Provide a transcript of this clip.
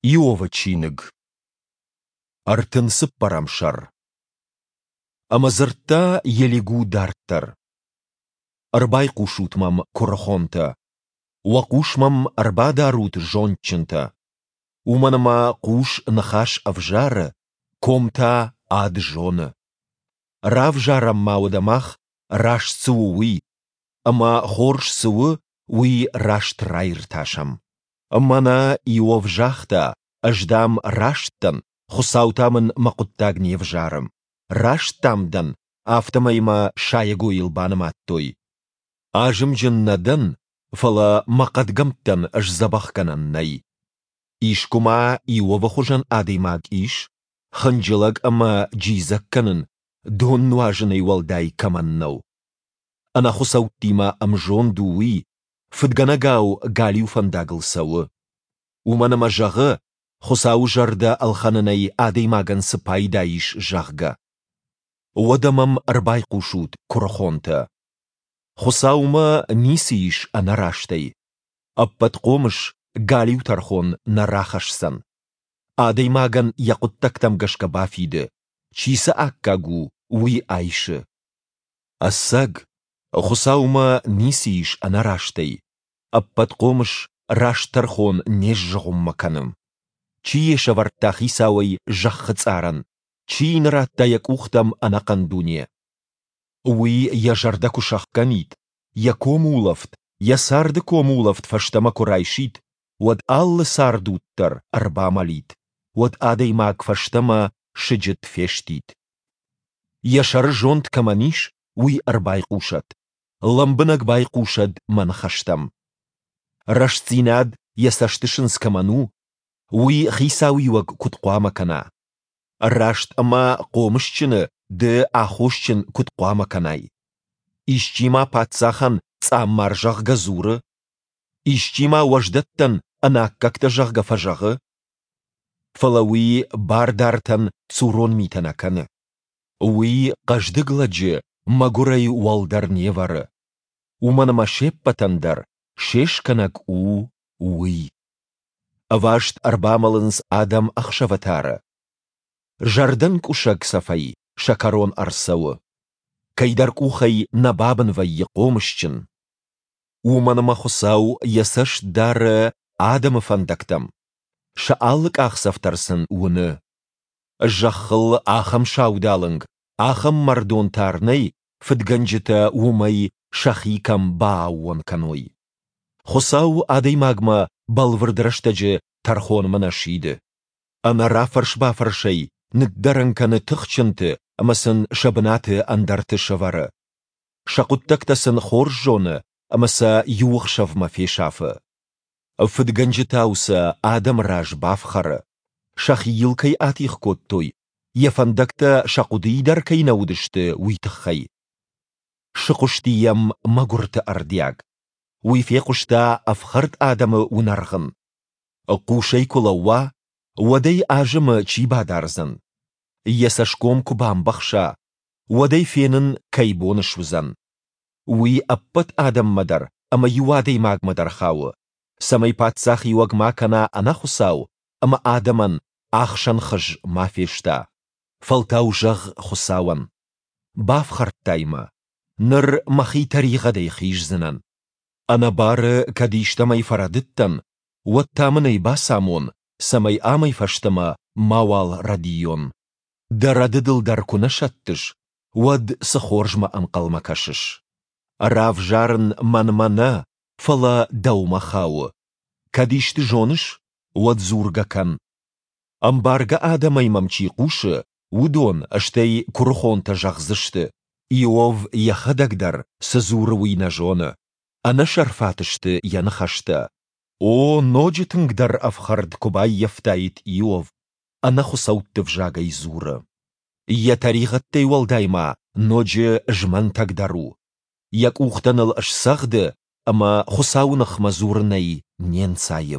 Иовы чиныг, 34-ӕм сӕр. Ӕмӕ дзырдта Елигу дарддӕр: Ӕрбайхъусут мӕм, куырыхонтӕ! Уӕ хъус мӕм ӕрбадарут, зондджынтӕ! Уымӕн ӕмӕ хъус ныхас ӕвзары, ком та ад зоны. Равзарӕм ма уӕдӕ мах, раст цы у, уый, ӕмӕ хорз цы у, уый раст раиртасӕм. Мӕнӕ Иов загъта, ӕз, дам, раст дӕн, Хуыцау та мын мӕ хъуыддаг не взары. Раст, дам, дӕн, афтӕмӕй мӕ сайӕгойыл банымадтой. Азымджын нӕ дӕн, фӕлӕ мӕ хъӕдгӕмттӕн сдзӕбӕхгӕнӕн нӕй. Искуы ма Иовы хуызӕн адӕймаг ис, хынджылӕг ӕмӕ джидзӕг кӕнын дон нуазынӕй уӕлдай кӕмӕн нӕу? Ӕнӕхуыцӕуттимӕ ӕмзонд у уый, фыдгӕнӕгау галиу фӕндагыл цӕуы. Уымӕн ӕмӕ зӕгъы, Хуыцауы зӕрдӕ ӕлхӕнынӕй адӕймагӕн цы пайда ис, зӕгъгӕ. Уӕдӕ мӕм ӕрбайхъусут, куырыхонтӕ. Хуыцаумӕ ницы ис ӕнӕрастӕй. Ӕппӕтхъомыс галиу тӕрхон нӕ рахӕсдзӕн. Адӕймагӕн йӕ хъуыддӕгтӕм гӕсгӕ бафиды, чи цы аккаг у, уый айсы. Ӕцӕг, Хуыцаумӕ ницы ис ӕнӕрастӕй, Ӕппӕтхъомыс раст тӕрхон не сзыгъуыммӕ кӕны. Чи йӕ сӕвӕрдта хицауӕй зӕххы цъарӕн, чи йын радта йӕ къухтӕм ӕнӕхъӕн дуне? Уый йӕ зӕрдӕ куы сӕхгӕнид, йӕ комулӕфт, йӕ царды комулӕфт фӕстӕмӕ куы райсид, уӕд алы цӕрдуд дӕр ӕрбамӕлид, уӕд адӕймаг фӕстӕмӕ сыджыт фестид. Йӕ сӕры зонд кӕмӕн ис, уый ӕрбайхъусӕд, лӕмбынӕг байхъусӕд мӕ ныхӕстӕм. Рӕстдзинад йӕ цӕстысындз кӕмӕн у, уый хицауиуӕг куыд хъуамӕ кӕна? Раст ӕмӕ хъомысджыны ды аххосджын куыд хъуамӕ кӕнай? Исчи ма паддзахӕн цъаммар зӕгъгӕ дзуры? Исчи ма уӕздӕттӕн ӕнаккӕгтӕ зӕгъгӕ фӕзӕгъы? Фӕлӕ уый бардартӕн цурон митӕ нӕ кӕны. Уый хъӕздыг лӕджы мӕгуырӕй уӕлдӕр не вӕры. Уымӕн ӕмӕ се ппӕтӕн дӕр се скӕнӕг у уый. Ӕваст ӕрбамӕлынц адӕм ӕхсӕвы тары. Зӕрдӕнкъуысӕг цӕфӕй сӕ кӕрон ӕрцӕуы. Кӕйдӕр къухӕй нӕ бабын вӕййы хъомысджын. Уымӕн ӕмӕ Хуыцау йӕ цӕст дары адӕмы фӕндӕгтӕм, сӕ алы къахдзӕф дӕр сын уыны. Зӕххыл ахӕм саудалынг, ахӕм мӕрдон тар нӕй, фыдгӕнджытӕ уымӕй сӕхи кӕм бааууон кӕной. Хуыцау адӕймагмӕ бӕлвырд рӕстӕджы тӕрхонмӕ нӕ сиды. Ӕнӕ рафӕрс-бафӕрсӕй ныддӕрӕн кӕны тыхджынты ӕмӕ сын сӕ бынаты ӕндӕрты сӕвӕры. Сӕ хъуыддӕгтӕ сын хорз зоны ӕмӕ сӕ иу ӕхсӕвмӕ фесафы. Фыдгӕнджытау сӕ адӕмы раз бафхӕры, сӕхи йыл кӕй атигъ кодтой, йӕ фӕндӕгтӕ сӕ хъуыдыйы дӕр кӕй нӕ уыдысты, уый тыххӕй. Сыхъуысти йӕм мӕгуырты ӕрдиаг. Уый фехъуыста ӕфхӕрд адӕмы уынӕргъын. Хъусӕй куы лӕууа, уӕд ӕй азымы чи бадардзӕн? Йӕ цӕсгом куы бамбӕхса, уӕд ӕй фенын кӕй бон суыдзӕн? Уый ӕппӕт адӕммӕ дӕр ӕмӕ иу адӕймагмӕ дӕр хауы, цӕмӕй паддзахиуӕг ма кӕна ӕнӕхуыцау ӕмӕ адӕмӕн ӕхсӕн хыз ма феста. Фӕлтау зӕгъ Хуыцауӕн: Бафхӕрдтай мӕ, ныр мӕхи тӕригъӕдӕй хиздзынӕн. Ӕнӕбары кӕд истӕмӕй фӕрӕдыдтӕн, уӕд та мын ӕй бацамон, цӕмӕй амӕй фӕстӕмӕ мауал рӕдийон. Дӕ рӕдыдыл дӕр куы нӕ сӕттыс, уӕд цы хорзмӕ ӕнхъӕлмӕ кӕсыс? Равзарын мӕнмӕ нӕ, фӕлӕ дӕумӕ хауы. Кӕд исты зоныс, уӕд дзургӕ кӕн. Ӕмбаргӕ адӕмӕй мӕм чи хъусы, уыдон, стӕй куырыхонтӕ зӕгъдзысты, Иов йӕхӕдӕг дӕр, цы дзуры, уый нӕ зоны. Ӕнӕсӕрфат сты йӕ ныхӕстӕ. О, ноджы тынгдӕр ӕфхӕрд куы баййӕфтаид Иов, ӕнӕхуыцӕутты взагӕй дзуры. Йӕ тӕригъӕдтӕй уӕлдай ма ноджы змӕнтӕг дӕр у. Йӕ къухтӕ ныл сцӕгъды ӕмӕ Хуыцауы ныхмӕ дзурынӕй не нцайы.